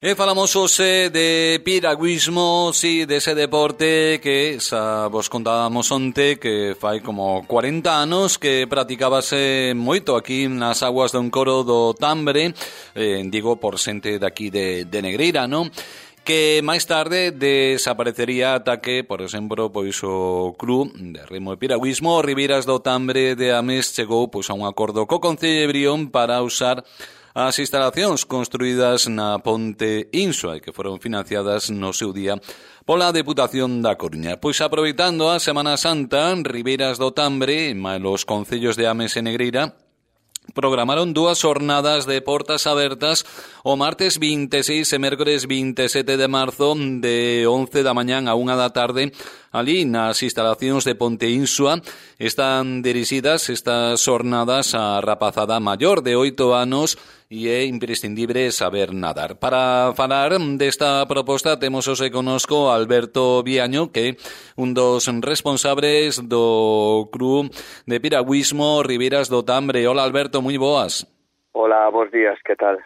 E falamos hoxe de piragüismo, si, dese deporte que xa vos contábamos onte que fai como 40 anos que practicábase moito aquí nas aguas do Encoro do Tambre, digo por xente daqui de Negreira, non? Que máis tarde desaparecería ata que, por exemplo, pois o club de remo e piragüismo Ribeiras do Tambre de Ames chegou pois a un acordo co Concello de Brión para usar as instalacións construídas na Ponte Insua e que foron financiadas no seu día pola Deputación da Coruña. Pois aproveitando a Semana Santa, Ribeiras do Tambre e os concellos de Ames e Negreira programaron dúas xornadas de portas abertas o martes 26 e mércores 27 de marzo de 11 da mañán a 1 da tarde ali nas instalacións de Ponte Insua. Están dirixidas estas xornadas á rapazada maior de 8 anos e é imprescindible saber nadar. Para falar desta proposta temos hoxe connosco Alberto Viaño, que é un dos responsables do club de piragüismo Ribeiras do Tambre. Hola Alberto, moi boas. Hola, bons días, que tal?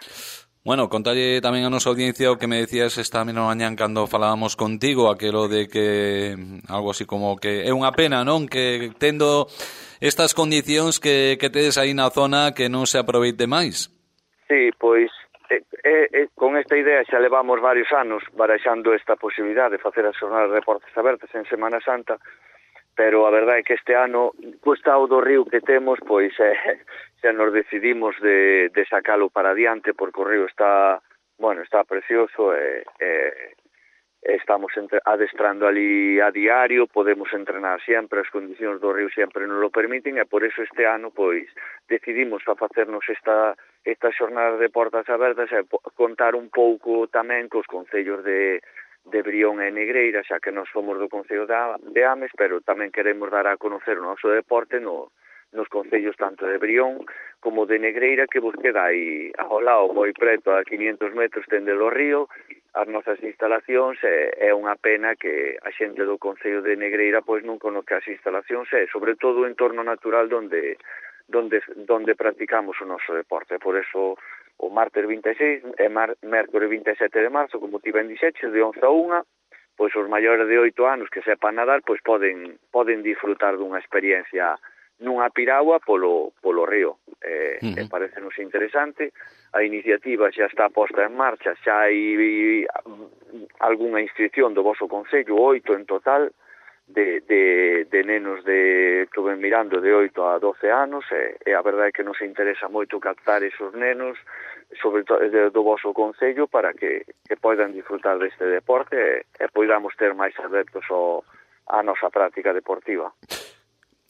Bueno, contalle tamén a nosa audiencia o que me decías esta mesma mañán cando falábamos contigo, aquelo de que algo así como que é unha pena, non? Que tendo estas condicións que tedes aí na zona que non se aproveite máis. Sí, pois con esta idea xa levamos varios anos barexando esta posibilidade de facer as xornadas de portas abertas en Semana Santa, pero a verdade é que este ano, co estado do río que temos, pois xa nos decidimos de sacalo para adiante, porque o río está precioso e estamos adestrando ali a diario, podemos entrenar sempre, as condicións do río sempre nos lo permiten, e por eso este ano pois decidimos a facernos esta xornada de portas abertas e contar un pouco tamén cos concellos de Brión e Negreira, xa que nós somos do concello de Ames, pero tamén queremos dar a conocer o noso deporte nos concellos tanto de Brión como de Negreira, que vos queda aí ao lado, moi preto, a 500 metros tende o río, as nosas instalacións, é unha pena que a xente do concello de Negreira pois non conoce as instalacións, e sobre todo o entorno natural donde practicamos o noso deporte. Por eso o martes 26 e mércores 27 de marzo, como ti ben dixeches, de 11 a 1, pois os maiores de 8 anos que sepan nadar pois poden disfrutar dunha experiencia nunha piragua polo río. E parecenos interesante. A iniciativa xa está posta en marcha, xa hai algunha inscripción do voso concello, 8 en total, de nenos que ven mirando de 8 a 12 anos, e a verdade é que nos interesa moito captar esos nenos, sobre todo do voso concello, para que poidan disfrutar deste deporte e poidamos ter máis adeptos á nosa práctica deportiva.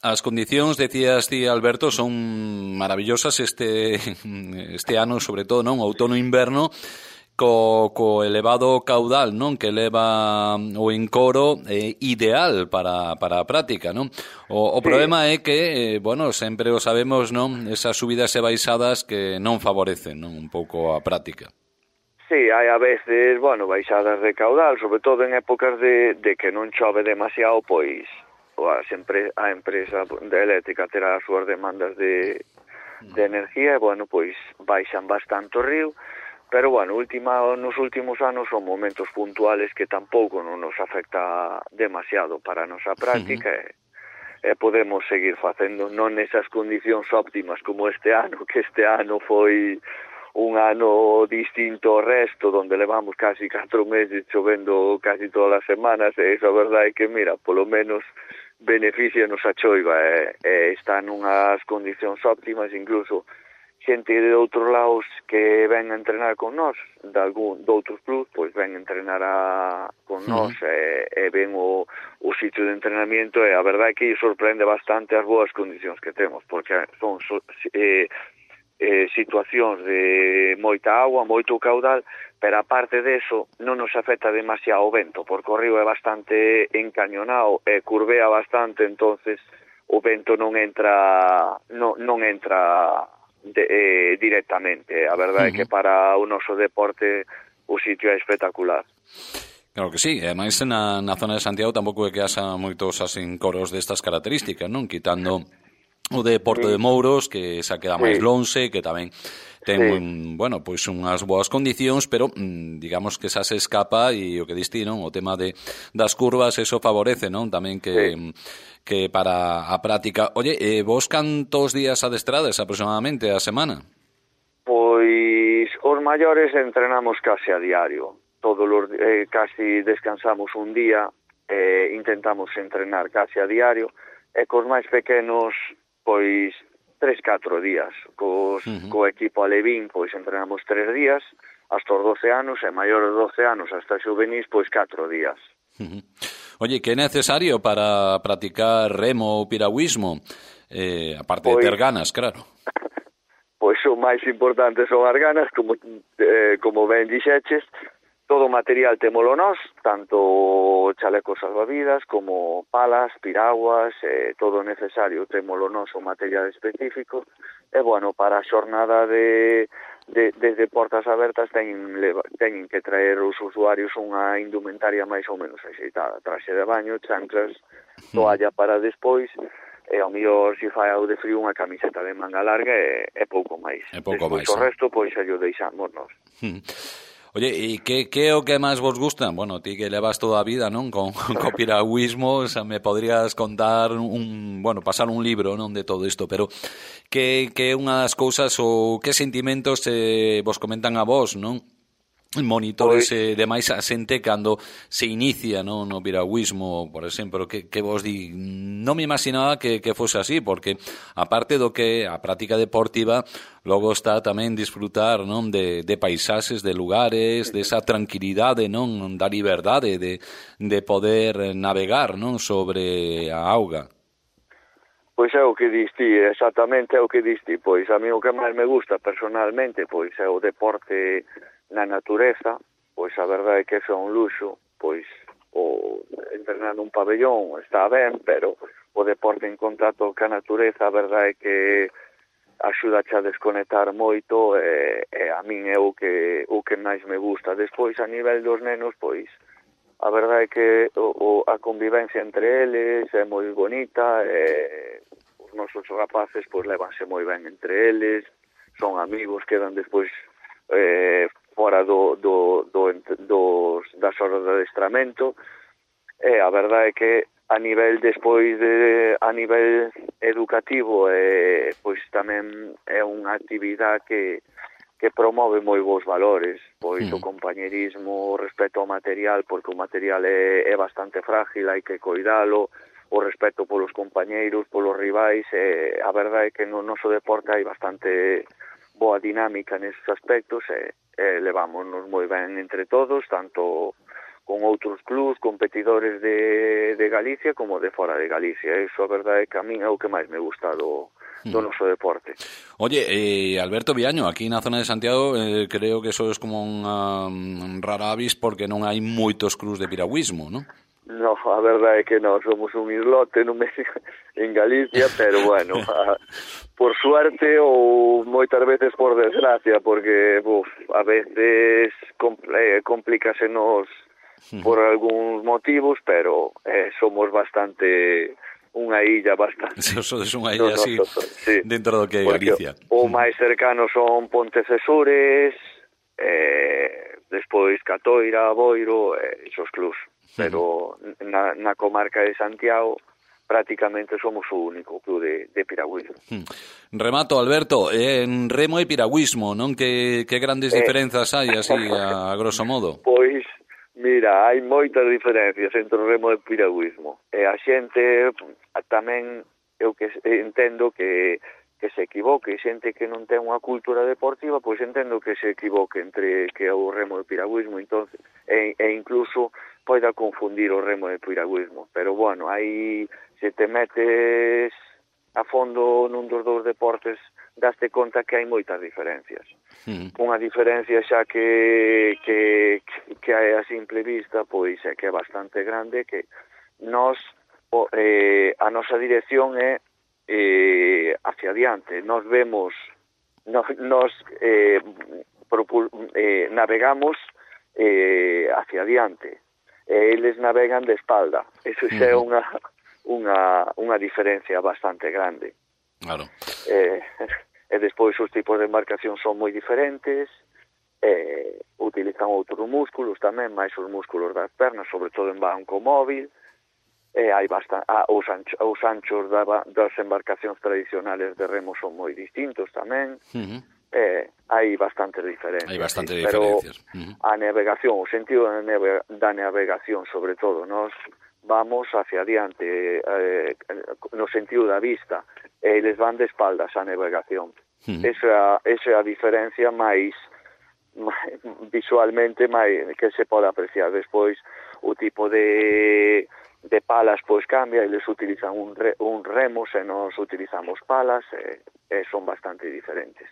As condicións, decías ti, Alberto, son maravillosas este ano, sobre todo, non? Outono e inverno, co elevado caudal, non? Que leva o Encoro ideal para a práctica, non? O problema é que, sempre o sabemos, non? Esas subidas e baixadas que non favorecen, non? Un pouco a práctica. Sí, hai a veces, baixadas de caudal, sobre todo en épocas de que non chove demasiado, pois a empresa eléctrica terá as súas demandas de energía, e, pois baixan bastante o río, pero, nos últimos anos son momentos puntuales que tampouco non nos afecta demasiado para a nosa práctica, e podemos seguir facendo non nesas condicións óptimas como este ano, que este ano foi un ano distinto ao resto, donde levamos casi 4 meses chovendo casi todas as semanas, e iso a verdade é que, mira, polo menos beneficianos a choiva, e están nunhas condicións óptimas. Incluso xente de outros lados que ven a entrenar con nós, de outros clubs, pois ven a entrenar con nós, e ven o sitio de entrenamiento, e a verdade é que sorprende bastante as boas condicións que temos, porque son situacións de moita agua, moito caudal, pero aparte deso non nos afecta demasiado o vento, porque o río é bastante encañonado e curvea bastante, entonces o vento non entra directamente. A verdade é que para o noso deporte o sitio é espectacular. Claro que sí, e ademais na zona de Santiago tampouco é que haxa moitos encoros destas características, non? Quitando o de Porto de Mouros, que xa queda máis lonxe, que tamén ten, bueno, pois unhas boas condicións, pero digamos que xa se escapa e o que diste, non? O tema das curvas, eso favorece, non? Tamén que para a práctica. Oye, vos cantos días adestrades aproximadamente a semana? Pois os maiores entrenamos case a diario. Casi descansamos un día, intentamos entrenar case a diario, e cos máis pequenos, pois 3-4 días. Co equipo alevín, pois entrenamos 3 días, hasta os 12 anos, e maiores de 12 anos hasta xuvenís, pois 4 días. Oye, que é necesario para practicar remo ou piragüismo? Aparte de ter ganas, claro. Pois o máis importante son as ganas, como ben dixeches. Todo o material témolo nós, tanto chalecos salvavidas como palas, piraguas, todo necesario témolo nós, o material específico. E, bueno, para a xornada desde Portas Abertas teñen que traer os usuarios unha indumentaria máis ou menos axeitada. Traxe de baño, chanclas, toalla para despois, e ao mellor se fai algo de frío unha camiseta de manga larga e pouco máis. Despois o resto, pois, xa o deixamos nós. Oye, e que é o que máis vos gusta? Bueno, ti que levas toda a vida, non? Con piragüismo, xa me podrías contar pasar un libro, non, de todo isto, pero que é unha das cousas ou que sentimentos vos comentan a vos, non? Monitores demais a xente cando se inicia, non, no piragüismo, por exemplo, que vos di, non me imaginaba que fose así, porque aparte do que a práctica deportiva, logo está tamén disfrutar, non, de paisaxes, de lugares, de esa tranquilidade, non, da liberdade de poder navegar, non, sobre a auga. Pois é o que diste, exactamente é o que diste. Pois a mí o que máis me gusta personalmente, pois é o deporte na natureza. Pois a verdade é que é un luxo, pois o entrenar nun pabellón está ben, pero o deporte en contacto ca natureza, a verdade é que axuda a desconectar moito, e a min é o que máis me gusta. Despois, a nivel dos nenos, pois a verdade é que a convivencia entre eles é moi bonita, os nosos rapaces pois levanse moi ben entre eles, son amigos, quedan despois fora das horas de adestramento, e a verdade é que a nivel educativo, pois tamén é unha actividade que promove moi bons valores, pois o compañerismo, o respeto ao material, porque o material é bastante frágil, hai que coidalo, o respeto polos compañeiros, polos rivais, a verdade é que no noso deporte hai bastante boa dinámica neses aspectos, e levámonos moi ben entre todos, tanto con outros clubs, competidores de Galicia como de fora de Galicia. Iso a verdade é que a min é o que máis me gusta do noso deporte. Oye, Alberto Viaño, aquí na zona de Santiago creo que eso é como unha rara avis porque non hai moitos clubs de piragüismo, non? No, a verdade é que non, somos un islote en Galicia, pero bueno, por suerte ou moitas veces por desgracia, porque a veces complícasenos por algúns motivos, pero somos bastante unha illa bastante. Sodes unha illa así, sí, dentro do que é Galicia. O máis cercano son Pontecesures, despois Catoira, Boiro, esos clubs. Pero na comarca de Santiago prácticamente somos o único club de piragüismo. Remato, Alberto, en remo e piragüismo, non? Que grandes diferenzas hai, así, a grosso modo? Pois, mira, hai moitas diferencias entre o remo e o piragüismo. E a xente tamén, eu que entendo que se equivoque, xente que non ten unha cultura deportiva, pois entendo que se equivoque entre que o remo e o piragüismo, entonces, e incluso poida confundir o remo e o piragüismo. Pero, bueno, aí, se te metes a fondo nun dos dous deportes, daste conta que hai moitas diferencias. Unha diferencia xa que hai a simple vista, pois é que é bastante grande, que a nosa dirección é hacia adiante. Nos vemos, navegamos hacia adiante, eles navegan de espalda. Eso xa é unha diferencia bastante grande. Claro. E despois os tipos de embarcación son moi diferentes, utilizan outros músculos tamén, máis os músculos das pernas, sobre todo en banco móvil, hai os anchos das embarcacións tradicionales de remo son moi distintos tamén. Hai bastantes diferencias. Hai bastantes diferencias. A navegación, o sentido da navegación, sobre todo, nós vamos hacia adiante no sentido da vista, e eles van de espaldas á navegación. Esa é a diferencia máis visualmente que se pode apreciar. Despois o tipo de palas pois cambia, eles utilizan un remo e nós utilizamos palas, e son bastante diferentes.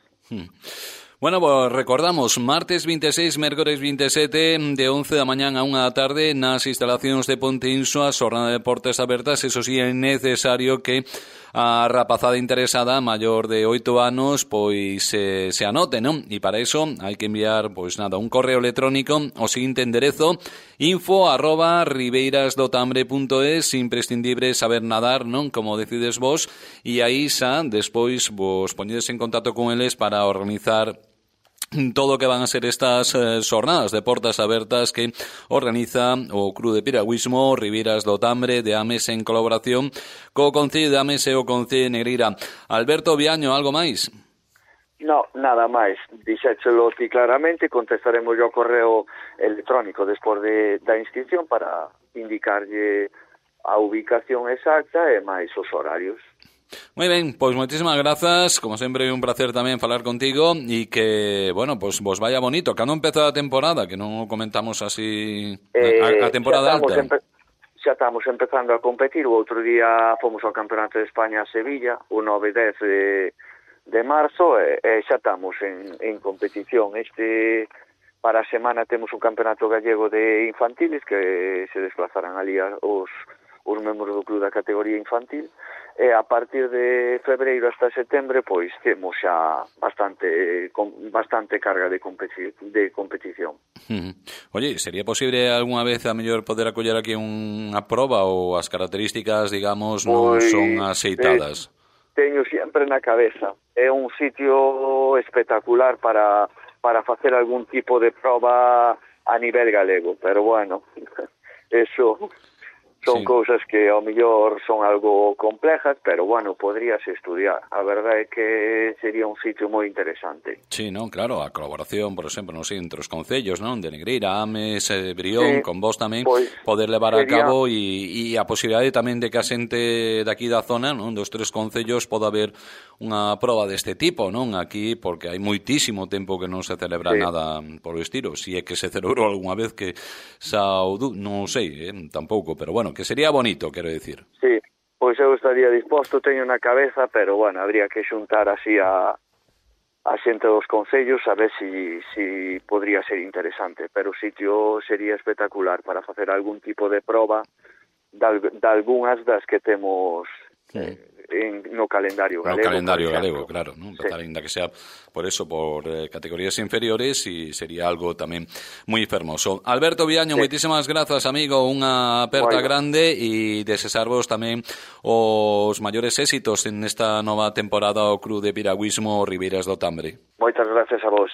Bueno, pues recordamos, martes 26, mércores 27, de 11 da mañán a 1 da tarde, nas instalacións de Ponte Insua, xornada de portas abertas. Eso sí, é necesario que a rapazada interesada maior de 8 anos pois se anote, non? E para iso hai que enviar, pois nada, un correo electrónico ao seguinte enderezo: info@ribeirasdotambre.es. Imprescindible saber nadar, non? Como decides vos, e aí xa despois vos poñedes en contacto con eles para organizar todo o que van a ser estas xornadas de portas abertas que organiza o Club de Piragüismo Ribeiras do Tambre de Ames en colaboración co Concello de Ames e o Concello de Negreira. Alberto Viaño, algo máis? No, nada máis. Dixéchelo ti claramente, contestaremos yo ao correo electrónico despois da inscripción para indicarlle a ubicación exacta e máis os horarios. Moi ben, pois moitísimas grazas, como sempre é un placer tamén falar contigo e que, bueno, pois vos vaya bonito. Cando empeza a temporada, que non comentamos así a temporada alta? Xa estamos empezando a competir. O outro día fomos ao Campeonato de España a Sevilla, o 9 e 10 de marzo, e xa estamos en competición. Para a semana temos un campeonato gallego de infantiles que se desplazarán ali os membros do club da categoría infantil, e a partir de febreiro hasta setembro pois temos xa bastante carga de competición. Oye, sería posible algunha vez a mellor poder acoller aquí unha proba, ou as características, digamos, non son aceitadas? Teño sempre na cabeza. É un sitio espectacular para facer algún tipo de proba a nivel galego, pero bueno, eso son cousas que ao mellor son algo complejas, pero bueno, podríase estudiar. A verdade é que sería un sitio moi interesante. Sí, non, claro, a colaboración, por exemplo, non sei, entre os concellos, non, de Negreira, Ames, Brión, con vos tamén, poder levar a cabo e a posibilidade tamén de que a xente daqui da zona, non, dos tres concellos, poda haber unha proba deste tipo, non, aquí, porque hai moitísimo tempo que non se celebra nada por o estilo. Si é que se celebrou algunha vez, que non sei, tampouco, pero bueno, que sería bonito, quero dicir. Sí, pois eu estaría disposto, teño na cabeza, pero bueno, habría que xuntar así a xente dos concellos a ver si podría ser interesante, pero o sitio sería espectacular para facer algún tipo de proba de algunhas das que temos no calendario galego. No calendario galego, claro, ¿no? Empezar, ainda que sea por eso, por categorías inferiores, y sería algo tamén moi fermoso. Alberto Viaño, moitísimas grazas, amigo, unha aperta grande, e desexarvos tamén os maiores éxitos en esta nova temporada ao Club de Piragüismo Ribeiras do Tambre. Moitas gracias a vos.